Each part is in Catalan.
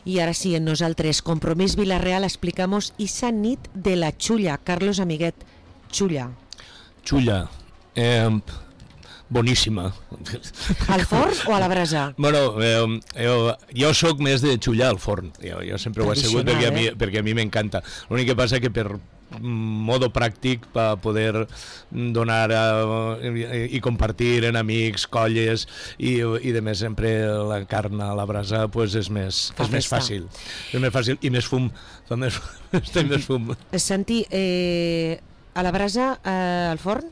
Y ahora sí, en nosaltres, Compromís Vila-real, explicamos esa nit de la Xulla. Carlos Amiguet, Xulla. Xulla, boníssima. Al forn o a la brasa? Bueno, jo sóc més de xullar al forn. Jo sempre ho he sigut perquè a mi m'encanta. L'únic que passa que per modo pràctic per poder donar i compartir en amics, colles i de més sempre la carn a la brasa pues és més fàcil. És més fàcil i més fum. Té més fum. Santi, a la brasa, al forn?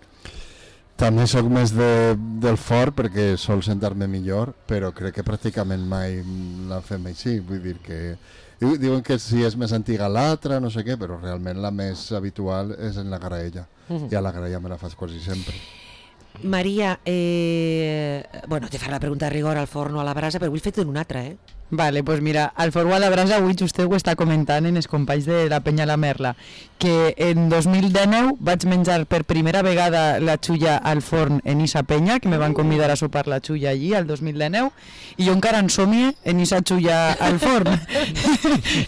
També sóc més del forn perquè sol sentar-me millor, però crec que pràcticament mai la fem així. Vull dir que diuen que si és més antiga l'altra, no sé què, però realment la més habitual és en la graella. I a la graella me la fas quasi sempre. Maria, bueno, te faré la pregunta de rigor al forn o a la brasa, però vull fer-te una altra, Vale, pues mira, al forn o a la brasa avui vostè ho està comentant en els companys de la Penya La Merla, que en 2019 vaig menjar per primera vegada la xulla al forn en Isa Penya, que me van convidar a sopar la xulla allí al 2019, i jo encara en somie en Isa xulla al forn.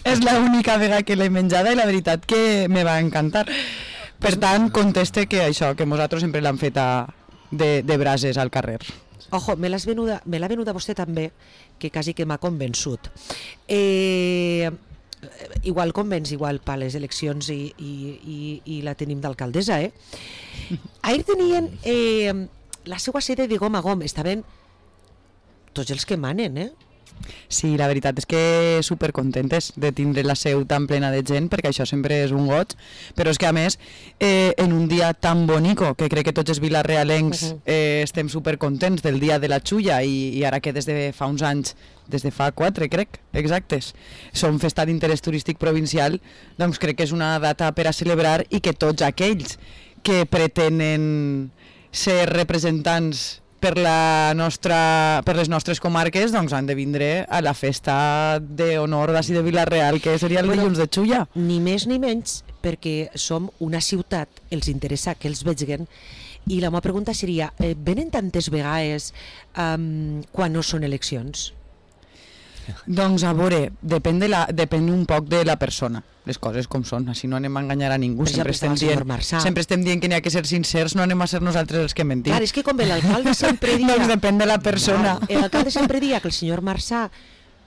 És l'única vegada que l'he menjada i la veritat que me va encantar. Per tant, conteste que això, que nosaltres sempre l'hem fet de brases al carrer. Ojo, me l'ha venuda vostè també, que quasi que m'ha convençut. Igual convenç, igual per les eleccions i la tenim d'alcaldessa, Ahir tenien la seva sede de gom a gom, estaven tots els que manen, Sí, la veritat és que supercontentes de tindre la seu tan plena de gent, perquè això sempre és un goig, però és que a més en un dia tan bonico, que crec que tots els vilarealencs estem supercontents del dia de la xulla i ara que des de fa uns anys, des de fa 4 crec, exactes, som festa d'interès turístic provincial, doncs crec que és una data per a celebrar i que tots aquells que pretenen ser representants per les nostres comarques doncs han de vindre a la festa d'honor d'ací de Vila-real, que seria el dilluns de Xulla. Ni més ni menys, perquè som una ciutat, els interessa que els vegin, i la meva pregunta seria, venen tantes vegades quan no són eleccions? Doncs a veure, depèn un poc de la persona, les coses com són, així no anem a enganyar a ningú, sempre estem dient que n'hi ha que ser sincers, no anem a ser nosaltres els que mentim. Clar, és que com l'alcalde sempre dia... Doncs depèn de la persona. L'alcalde sempre dia que el senyor Marçà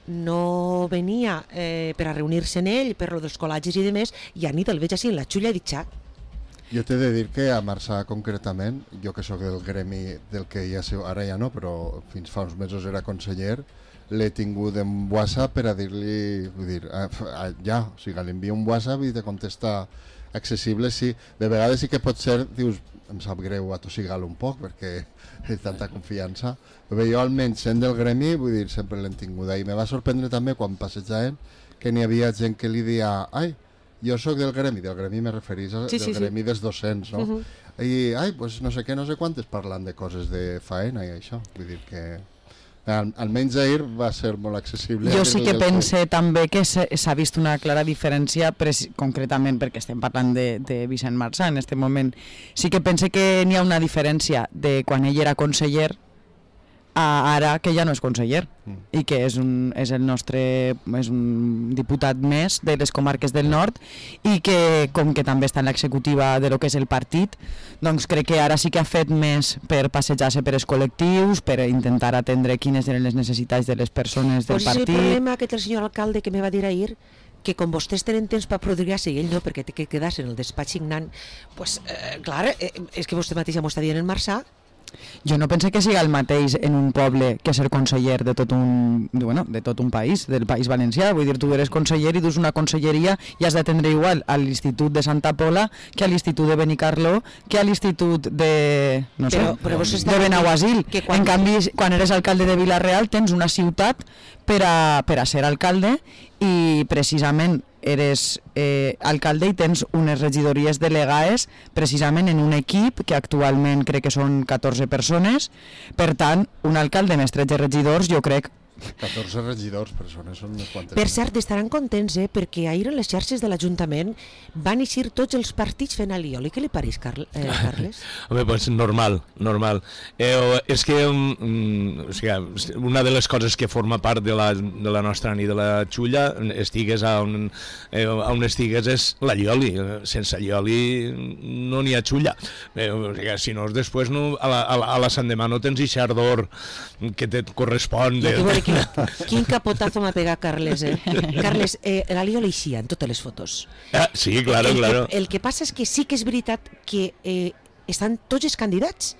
no venia per a reunir-se en ell, per lo dels col·lagis i demés, i a nit el veig així en la xulla i dic, xa. Jo t'he de dir que a Marçà concretament, jo que sóc del gremi del que ara ja no, però fins fa uns mesos era conseller, l'he tingut en WhatsApp per a dir-li, vull dir, ja, o sigui, l'envio un WhatsApp i te contesta accessible, sí. De vegades sí que pot ser, dius, em sap greu atossigar-lo un poc perquè és tanta confiança, però jo almenys sent del gremi, vull dir, sempre l'hem tinguda i me va sorprendre també quan passejàvem que n'hi havia gent que li dia, ai, jo sóc del gremi me referís al gremi dels docents, no? I, ai, pues no sé què, no sé quantes parlant de coses de faena i això, vull dir que... Almenys ahir va ser molt accessible. Jo sí que pense també que s'ha vist una clara diferència, concretament perquè estem parlant de Vicent Marçà en aquest moment. Sí que pense que n'hi ha una diferència de quan ell era conseller a ara que ja no és conseller i que és un diputat més de les comarques del nord i que com que també està en l'executiva de lo que és el partit, doncs crec que ara sí que ha fet més per passejar-se per els col·lectius, per intentar atendre quines eren les necessitats de les persones del partit. Pues el problema que té el senyor alcalde que me va dir ahir, que com vostès tenen temps per produir-se i ell no, perquè té que quedar-se en el despatx signant, pues clar, és que vostè mateixa m'ho està dient en Marçà. Jo no pense que siga el mateix en un poble que ser conseller de tot un país, del País Valencià. Vull dir, tu eres conseller i dus una conselleria i has d'atendre igual a l'Institut de Santa Pola que a l'Institut de Benicarló que a l'Institut de Benaguasil. En canvi, quan eres alcalde de Vila-real tens una ciutat per a ser alcalde i precisament eres alcalde i tens unes regidories delegades precisament en un equip que actualment crec que són 14 persones. Per tant, un alcalde més 13 regidors jo crec 14 regidors, persones, són unes quantes. Per cert, estaran contents, perquè ahir en les xarxes de l'Ajuntament van eixir tots els partits fent alioli. Què li pareix, Carles? Home, pues normal. És que una de les coses que forma part de la nostra nit de la Xulla, estigues on estigues, és l'allioli. Sense allioli no n'hi ha Xulla. Si no, després a la Sant Demà no tens i xardor que te correspon. Quin capotazo m'ha pegat Carles, Carles, l'alioli eixia en totes les fotos. Sí, claro. El que passa és que sí que és veritat que estan tots els candidats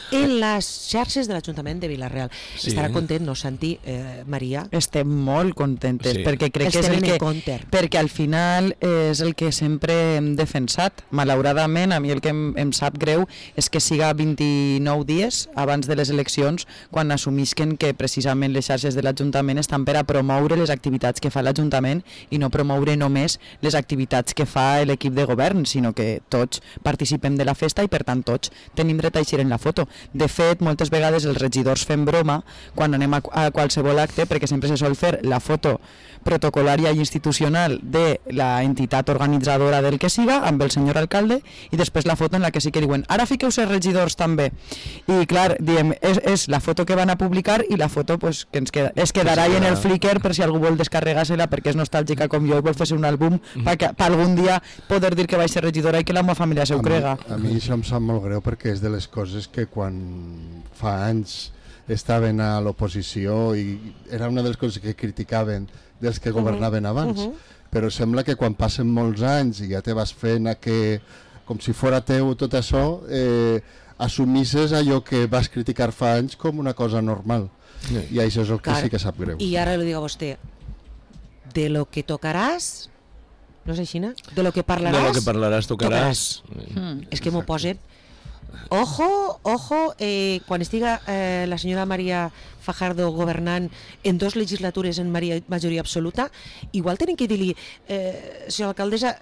en les xarxes de l'Ajuntament de Vila-real. Sí. Estarà content, no, Santi, Maria? Estem molt contentes, sí. Perquè crec que és el que... Perquè al final és el que sempre hem defensat. Malauradament, a mi el que em sap greu és que siga 29 dies abans de les eleccions quan assumisquen que precisament les xarxes de l'Ajuntament estan per a promoure les activitats que fa l'Ajuntament i no promoure només les activitats que fa l'equip de govern, sinó que tots participem de la festa i per tant tots tenim dret a eixir en la foto. De fet, moltes vegades els regidors fem broma quan anem a qualsevol acte, perquè sempre se sol fer la foto protocolària i institucional de la entitat organitzadora del que siga, amb el senyor alcalde, i després la foto en la que sí que diuen ara fiqueu-se regidors també. I clar, diem, és la foto que van a publicar i la foto pues, que es quedarà en el Flickr per si algú vol descarregar-se-la perquè és nostàlgica com jo i vol fer-se un àlbum per algun dia poder dir que vaig ser regidora i que la meva família s'ho crega. A mi això em sap molt greu perquè és de les coses que quan fa anys estaven a l'oposició i era una de les coses que criticaven dels que governaven abans, però sembla que quan passen molts anys i ja te vas fent que, com si fora teu tot això, assumisses allò que vas criticar fa anys com una cosa normal. I això és el que sí que sap greu. I ara li dic a vostè, de lo que tocaràs, no és així, no? De lo que parlaràs, tocaràs. És que m'ho posen. Ojo, quan estiga la senyora Maria Fajardo governant en 2 legislatures en majoria absoluta, igual tenen que dir-li, senyora alcaldessa,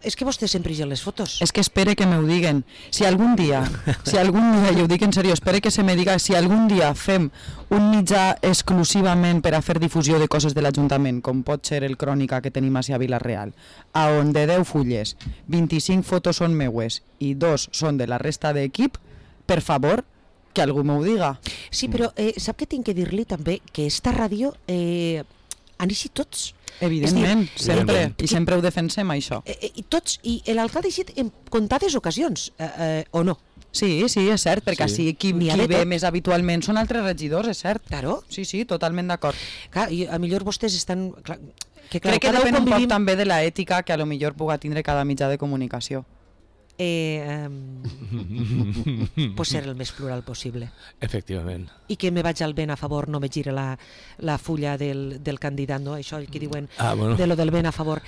és que vostè sempre hi ha les fotos. És que espere que m'ho diguen. Si algun dia, i ho dic en sèrio, espere que se me diga, si algun dia fem un mitjà exclusivament per a fer difusió de coses de l'Ajuntament, com pot ser el Crònica que tenim a Vila-real, a on de 10 fulles, 25 fotos són meues i 2 són de la resta d'equip, per favor, que algú m'ho diga. Sí, però sap que tinc que dir-li també que esta ràdio han eixit tots. Evidentment, sempre, i sempre ho defensem, això. I tots, i l'alcalde ha eixit en comptades ocasions, o no? Sí, és cert, perquè així qui ve més habitualment són altres regidors, és cert. Claro. Sí, totalment d'acord. Clar, i a millor vostès estan... Crec que depèn un poc també de l'ètica que a lo millor puga tindre cada mitjà de comunicació. Pues ser el més plural possible. Efectivament. I que me vaig al ben a favor, no me gire la fulla del candidat, no? Això que diuen de lo del ben a favor.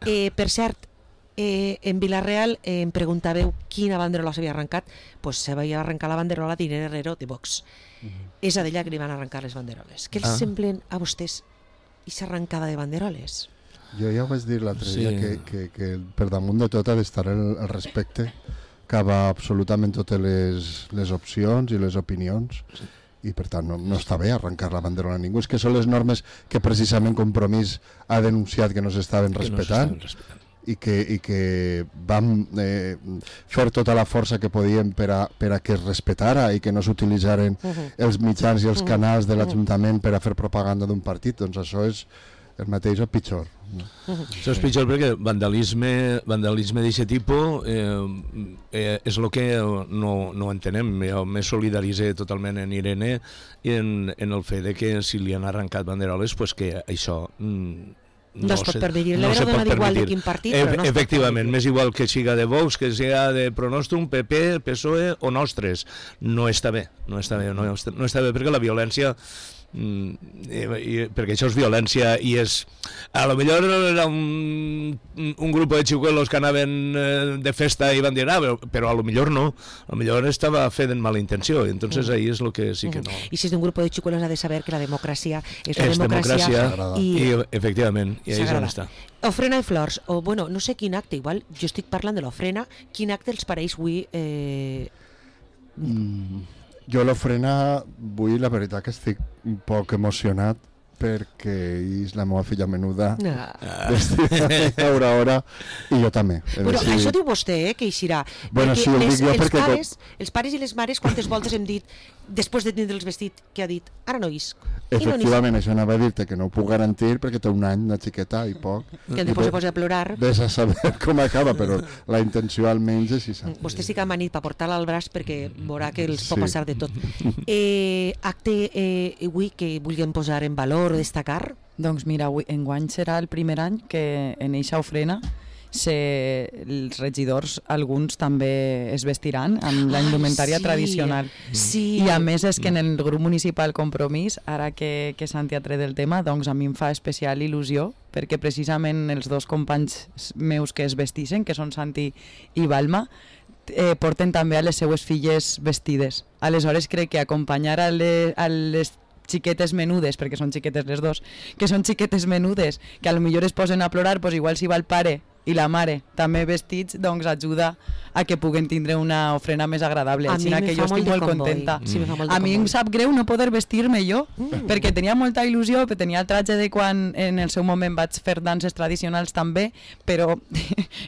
Per cert, en Vila-real em preguntàveu quina banderola s'havia arrencat. Pues s'havia arrencat la banderola d'Irene Herrero de Vox. És a d'ella que li van arrencar les banderoles. Què els semblen a vostès aquesta arrencada de banderoles? Jo ja ho vaig dir l'altre dia, que per damunt de tot ha d'estar el respecte cap a absolutament totes les opcions i les opinions, i per tant no està bé arrencar la banderola a ningú. És que són les normes que precisament Compromís ha denunciat que no s'estaven respectant i que vam fer tota la força que podíem per a que es respetara i que no s'utilitzaren els mitjans i els canals de l'Ajuntament per a fer propaganda d'un partit. Doncs això és el mateix o pitjor. Això és pitjor perquè vandalisme d'aquest tipus és el que no entenem. Jo me solidaritzé totalment en Irene i en el fet de que si li han arrencat banderoles, pues que això no es pot permetre. L'Evero dona igual de quin partit, però no es pot. Efectivament, m'és igual que siga de Vox, que siga de Pronostrum, PP, PSOE o Nostres. No està bé perquè la violència perquè això és violència i és... A lo millor era un grup de xicuelos que anaven de festa i van dir però a lo millor no, a lo millor estava fet en mala intenció, entonces ahí és lo que sí que no. I si és d'un grup de xicuelos ha de saber que la democràcia és la democràcia i efectivament, i ahí és on està. Ofrena i flors, o bueno, no sé quin acte, igual jo estic parlant de l'ofrena, quin acte els pareix avui? Jo l'ofrena, avui la veritat que estic un poc emocionat perquè és la meva filla menuda Ah. vestida de hora i jo també. Però això diu vostè, que eixirà. Bueno, Perquè sí, ho dic jo els perquè... els pares i les mares, quantes voltes hem dit, després de tindre els vestit, que ha dit, ara no isc. Efectivament, això anava a dir-te que no ho puc garantir perquè té un any, una xiqueta i poc. Que després se posa a plorar. Ves a saber com acaba, però la intenció almenys és això. Vostè sí que ha manit per portar-la al braç perquè veurà que els pot Sí. passar de tot. Acte avui que vulguem posar en valor o destacar? Doncs mira, enguany serà el primer any que en eixa ofrena els regidors, alguns també es vestiran amb la indumentària tradicional. Sí. I a més és que en el grup municipal Compromís, ara que Santi ha tret el tema, doncs a mi em fa especial il·lusió perquè precisament els dos companys meus que es vestixen, que són Santi i Balma, porten també a les seues filles vestides. Aleshores crec que acompanyar a les xiquetes menudes, perquè són xiquetes les dos, que són xiquetes menudes, que a lo millor es posen a plorar, doncs igual si va el pare i la mare també vestits, doncs ajuda a que puguen tindre una ofrena més agradable. A Així mi que me jo fa estic molt de molt comboi. contenta. Sí, me fa molt de A mi em comboi. sap greu no poder vestir-me jo, perquè tenia molta il·lusió, perquè tenia el tratge de quan en el seu moment vaig fer danses tradicionals també, però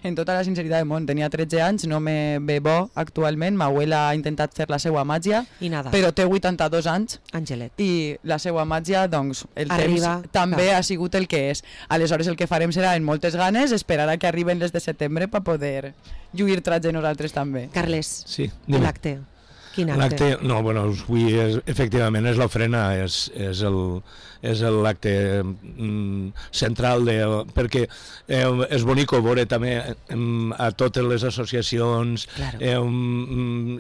en tota la sinceritat del món, tenia 13 anys, no me ve bo actualment, ma abuela ha intentat fer la seva màgia, I nada. però té 82 anys, Angelet. i la seva màgia, doncs, el Arriba, temps també clar. ha sigut el que és. Aleshores el que farem serà, en moltes ganes, esperar a que arriben les de setembre per poder lluir tratge nosaltres també. Carles, Sí, dime. l'acte. Quin acte? L'acte, no, bueno, avui efectivament és l'ofrena, és l'acte central, perquè és bonic veure també a totes les associacions Claro.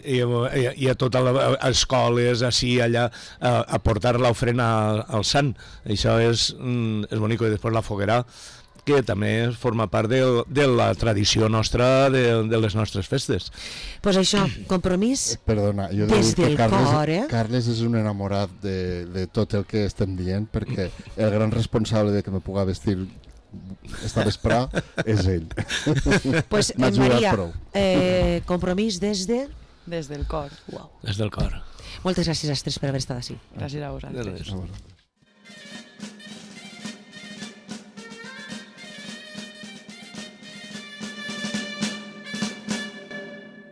i a totes les escoles, així, allà, a portar l'ofrena al sant. Això és bonic, i després la foguera, que també forma part de la tradició nostra, de les nostres festes. Pues això, Compromís, Perdona, jo he de Des dir del que cor, eh? Carles és un enamorat de tot el que estem dient, perquè el gran responsable de que me puga vestir esta vesprà és ell. pues, M'ha ajudat Maria, prou. Compromís des de... Des del cor. Uau. Des del cor. Moltes gràcies a tres per haver estat així. Gràcies a vosaltres. Gràcies. A veure.